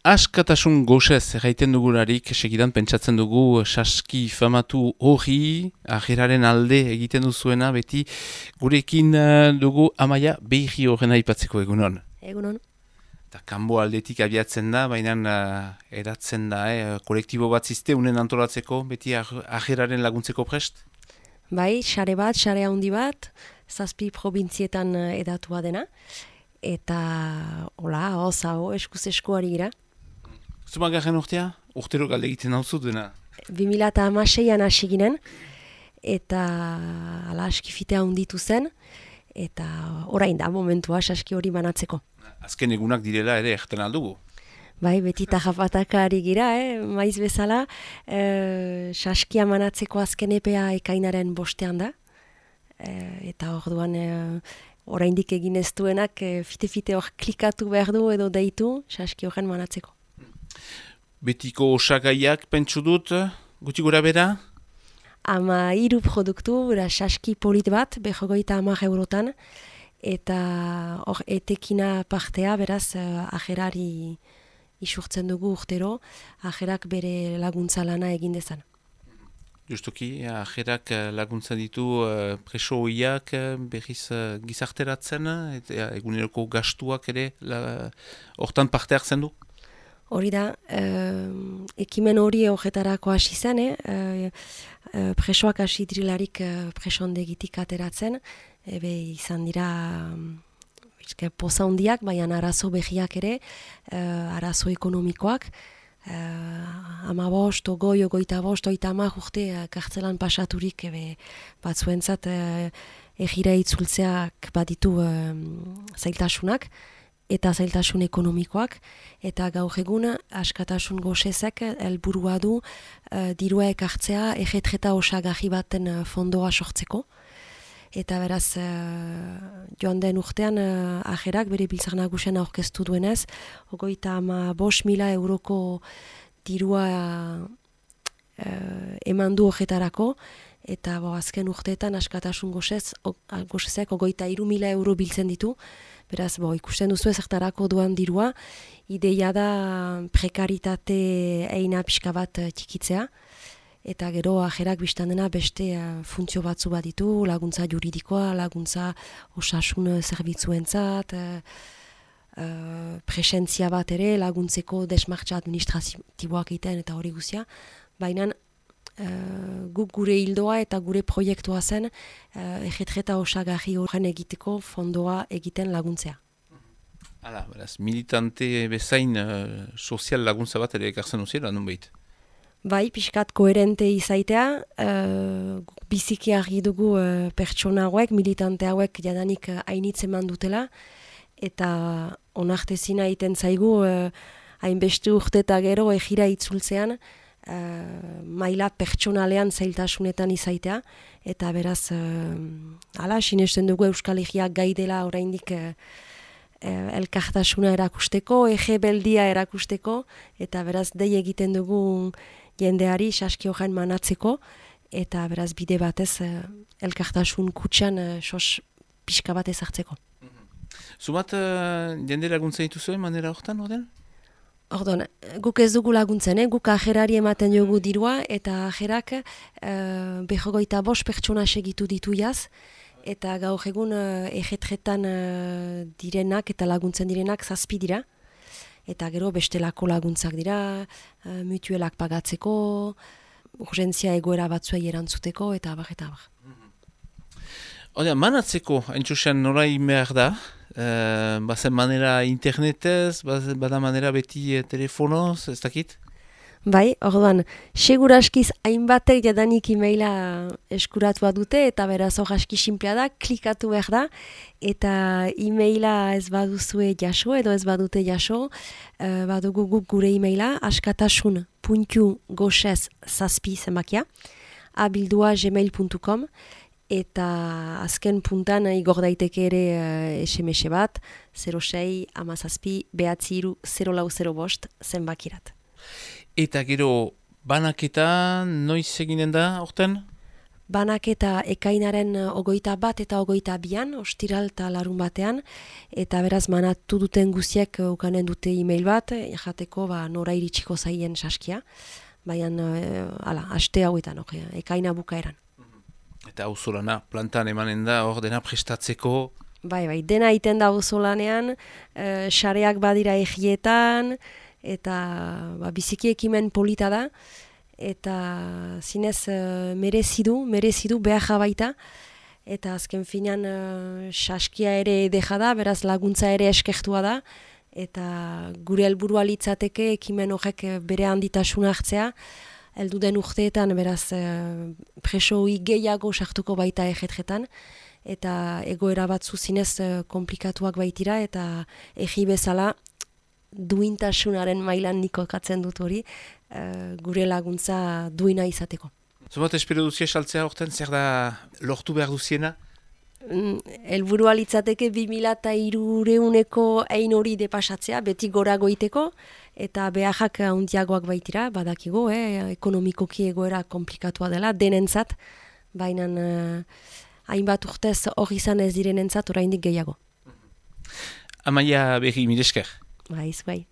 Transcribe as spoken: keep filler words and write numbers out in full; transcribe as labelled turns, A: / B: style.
A: Askatasun gozez erraiten dugularik, segidan pentsatzen dugu saski famatu hori, ajeraren alde egiten duzuena, beti gurekin uh, dugu Amaia Behi horrena aipatzeko egunon.
B: Egunon.
A: Eta kanbo aldetik abiatzen da, baina uh, eratzen da, eh, kolektibo bat ziste, unen antolatzeko, beti ajeraren laguntzeko prest?
B: Bai, sare bat, sare handi bat, zazpi probintzietan edatua dena, eta hola, oza, ho, eskuz eskuari gira.
A: Zumagarren urtea? Urtero galde egiten hau dena?
B: bi mila hamaseian hasi ginen, eta ala askifitea handitu zen, eta orain da momentua saski hori banatzeko.
A: Azken egunak direla ere erten aldugu?
B: Bai, beti tajapataka ari gira, eh? Maiz bezala, eh, saskia manatzeko azken epea ekainaren bostean da, eh, eta orduan eh, oraindik egin ez duenak eh, fite-fite hor klikatu behar du edo deitu saski horren manatzeko.
A: Betiko osagaiak pentsu dut, gutxi gura bera?
B: Ama hiru produktu, bera saski polit bat, behogoita hamar eurotan, eta hor etekina partea, beraz, uh, ajerari isurtzen dugu urtero, ajerak bere laguntza lana egin dezan.
A: Justuki, ajerak laguntza ditu uh, preso hoiak uh, berriz uh, gizarteratzen, eta eguneroko gastuak ere hortan parte hartzen du?
B: Hori da, eh, ekimen hori horretarako hasi zen, eh? eh, eh, presoak hasi dirilarik eh, presondegitik ateratzen, ebe izan dira bizke, poza hundiak, baina arazo behiak ere, eh, arazo ekonomikoak, eh, ama bost, ogoi, ogoita bost, oita amak urte eh, kartzelan pasaturik, ebe batzuentzat eh, egira itzultzeak baditu eh, zailtasunak, eta zailtasun ekonomikoak, eta gaur egun askatasun gozezek helburua du uh, dirua ekartzea egetreta osagarri baten uh, fondoa sortzeko. Eta beraz, uh, joan den urtean uh, ajerak bere biltzar nagusian aurkeztu duenez, ogoita ama bost mila euroko dirua uh, eman du horretarako, eta bo, azken urteetan askatasun gozez, gozezek ogoita hiru mila euro biltzen ditu. Beraz, bo, ikusten duzu ezertarako duan dirua, ideia da prekaritate eina pixka bat txikitzea, eta gero ajerak biztan dena beste uh, funtzio batzu bat ditu, laguntza juridikoa, laguntza osasun zerbitzuentzat, uh, uh, presentzia bat ere, laguntzeko desmartza administratiboak egiten eta hori guzia, baina Uh, guk gure hildoa eta gure proiektua zen uh, egetreta osagarri horren egiteko fondoa egiten laguntzea.
A: Hala, beraz, militante bezain uh, sozial laguntza bat ere ekartzen uziela, nun behit?
B: Bai, pixkat koherente izaitea, uh, guk biziki argi dugu uh, pertsona hauek, militante hauek jadanik uh, hainitz eman dutela, eta onartezina egiten zaigu uh, hainbeste urte eta gero egira itzultzean, Uh, maila pertsonalean zailtasunetan izaitea, eta beraz uh, ala, sinesten dugu Euskal Herriak gai dela oraindik uh, uh, elkartasuna erakusteko, ege beldia erakusteko, eta beraz dei egiten dugu jendeari saski horren manatzeko, eta beraz bide batez uh, elkartasun kutxan uh, sos pixka bat ezartzeko.
A: Mm-hmm. Zubat uh, jende laguntza dituzuen manera horretan, orden?
B: Ordon, guk ez dugu laguntzen, eh? Guk ajerari ematen dugu dirua, eta ajerak uh, behogoita bost pertsona segitu ditu jaz, eta gaur egun uh, egetretan uh, direnak eta laguntzen direnak zazpi dira, eta gero bestelako laguntzak dira, uh, mutuelak pagatzeko, urgentzia egoera batzuei erantzuteko, eta abar, eta abar.
A: Oda, manatzeko, haintxusen norai behar da, uh, bazen manera internetez, bazen bada manera beti uh, telefonoz, ez dakit?
B: Bai, orduan, seguraskiz hainbatek jadanik e-maila eskuratua dute, eta beraz hor aski sinplea da, klikatu behar da, eta e-maila ez baduzue jaso, edo ez badute jaso, uh, badugu guk gure e-maila, askatasun puntu gozez zazpi zenbakia, abildua gmail puntu com, eta azken puntan igor daiteke ere uh, S M S bat, zero sei hamazazpi behatzi hiru zero lau zero bost zenbakirat.
A: Eta gero banaketa noiz eginen da, orten?
B: banaketa ekainaren ogoita bat eta ogoita bian, ostiral eta larun batean, eta beraz manatu duten guztiak ukanen dute e-mail bat, jateko ba, nora iritsiko zaien saskia, baina e, ala, aste hauetan, okay, ekaina bukaeran.
A: Eta auzolana plantan emanen da, hor dena prestatzeko?
B: Bai, bai, dena iten da auzolanean, e, sareak badira egietan, eta ba, biziki ekimen polita da, eta zinez uh, merezidu, merezidu behar baita, eta azken finan uh, saskia ere deja da, beraz laguntza ere eskertua da, eta gure helburua litzateke ekimen horrek bere handitasuna hartzea, heldu den urteetan beraz uh, preso gehiago sartuko baita egetretan, eta egoera batzu zinez uh, komplikatuak baitira, eta egi bezala duintasunaren mailan niko katzen dut hori, uh, gure laguntza duina izateko.
A: Zumat, espero duzia saltzea horten, zer da lortu behar duziena?
B: Mm, helburua litzateke bi mila hirureuneko ein hori depasatzea, beti gora goiteko, eta beharrak handiagoak baitira, badakigo, eh, ekonomikoki egoera komplikatua dela, denentzat, baina uh, hainbat urtez hori izan ez direnentzat oraindik gehiago.
A: Amaia Berri, mil esker.
B: Baiz, bai.